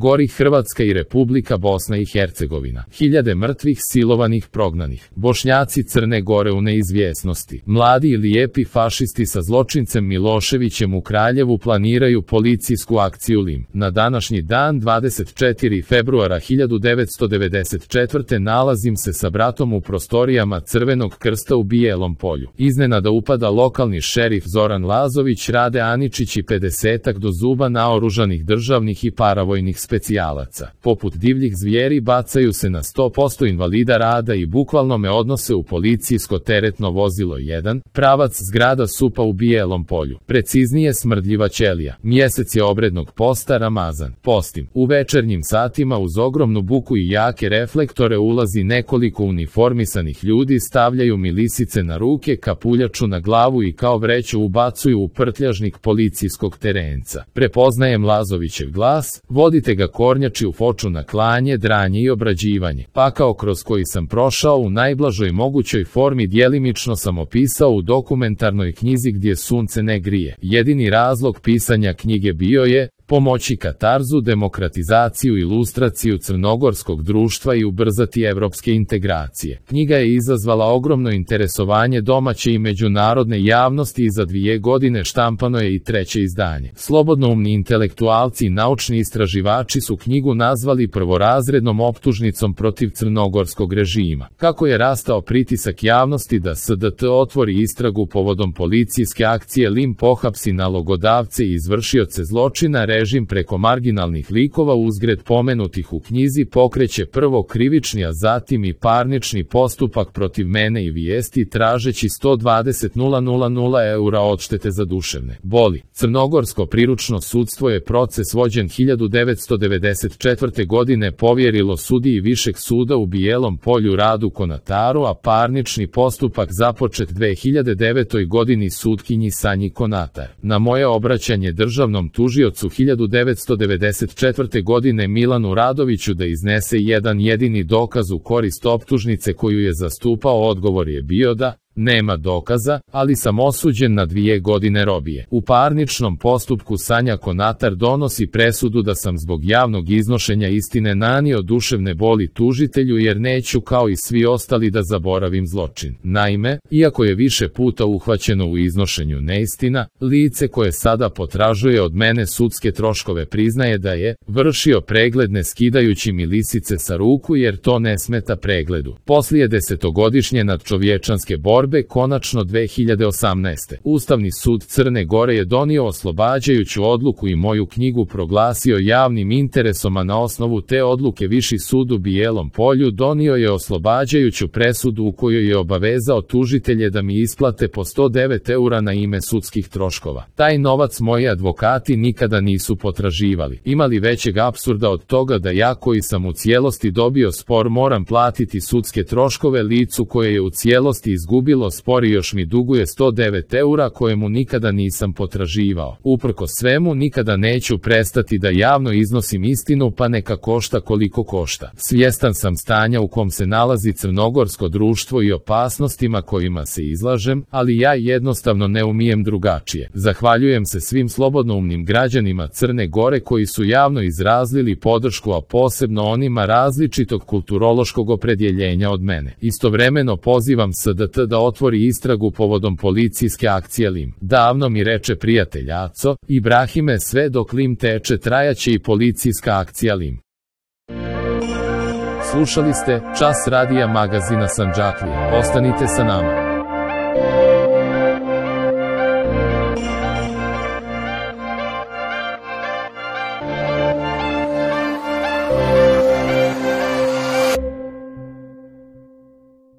Gori Hrvatska i Republika Bosna i Hercegovina. Hiljade mrtvih, silovanih, prognanih. Bošnjaci Crne Gore u neizvjesnosti. Mladi i lijepi fašisti sa zločincem Miloševićem u Kraljevu planiraju policijsku akciju Lim. Na današnji dan, 24. februara 1994. nalazim se sa bratom u prostorijama Crvenog krsta u Bijelom Polju. Iznenada upada lokalni šerif Zoran Lazović, Rade Aničić i 50-ak do zuba naoružanih državnih i paravojnih specijalaca. Poput divljih zvijeri bacaju se na 100% invalida rada i bukvalno me odnose u policijsko teretno vozilo 1, pravac zgrada SUP-a u Bijelom Polju. Preciznije Smrdljiva ćelija. Mjesec je obrednog posta Ramazan. Postim. U večernjim satima uz ogromnu buku i jake reflektore ulazi nekoliko uniformisanih ljudi, stavljaju mi lisice na ruke, kapuljaču na glavu i kao vreću ubacuju u prtljažnik policijskog terenca. Prepoznajem Lazovićev glas, vodite ga kornjači u foču na klanje, dranje i obrađivanje. Pakao kroz koji sam prošao u najblažoj mogućoj formi djelimično sam opisao u dokumentarnoj knjizi Gdje sunce ne grije. Jedini razlog pisanja knjige bio je pomoći katarzu, demokratizaciju i ilustraciju crnogorskog društva i ubrzati evropske integracije. Knjiga je izazvala ogromno interesovanje domaće i međunarodne javnosti i za 2 godine štampano je i 3. izdanje. Slobodnoumni intelektualci i naučni istraživači su knjigu nazvali prvorazrednom optužnicom protiv crnogorskog režima. Kako je rastao pritisak javnosti da SDT otvori istragu povodom policijske akcije Lim, pohapsi nalogodavce i izvršioce zločina, režim preko marginalnih likova uzgred pomenutih u knjizi pokreće prvo krivični, a zatim i parnični postupak protiv mene i vijesti tražeći 120.000 eura odštete za duševne boli. Crnogorsko priručno sudstvo je proces vođen 1994. godine povjerilo sudiji Višeg suda u Bijelom Polju Radu Konataru, a parnični postupak započet 2009. godini sutkinji Sanji Konatar. Na moje obraćanje državnom tužiocu 1994. godine Milanu Radoviću da iznese jedan jedini dokaz u korist optužnice koju je zastupao, odgovor je bio da nema dokaza, ali sam osuđen na 2 godine robije. U parničnom postupku Sanja Konatar donosi presudu da sam zbog javnog iznošenja istine nanio duševne boli tužitelju jer neću kao i svi ostali da zaboravim zločin. Naime, iako je više puta uhvaćeno u iznošenju neistina, lice koje sada potražuje od mene sudske troškove priznaje da je vršio pregled ne skidajući mi lisice sa ruku jer to ne smeta pregledu. Poslije 10-godišnje nadčovječanske borbe konačno 2018. Ustavni sud Crne Gore je donio oslobađajuću odluku i moju knjigu proglasio javnim interesom, a na osnovu te odluke Viši sud u Bijelom Polju donio je oslobađajuću presudu u kojoj je obavezao tužitelje da mi isplate po 109 eura na ime sudskih troškova. Taj novac moji advokati nikada nisu potraživali. Ima li većeg apsurda od toga da ja koji sam u cijelosti dobio spor moram platiti sudske troškove licu koje je u cijelosti izgubilo spor i još mi duguje 109 eura kojemu nikada nisam potraživao. Uprkos svemu nikada neću prestati da javno iznosim istinu, pa neka košta koliko košta. Svjestan sam stanja u kom se nalazi crnogorsko društvo i opasnostima kojima se izlažem, ali ja jednostavno ne umijem drugačije. Zahvaljujem se svim slobodnoumnim građanima Crne Gore koji su javno izrazili podršku, a posebno onima različitog kulturološkog opredjeljenja od mene. Istovremeno pozivam SDT da otvori istragu povodom policijske akcije Lim. Davno mi reče prijatelj Aco, Ibrahime, sve dok Lim teče trajaće i policijska akcija Lim. Slušali ste Čas radija magazina Sandžaklija. Ostanite sa nama.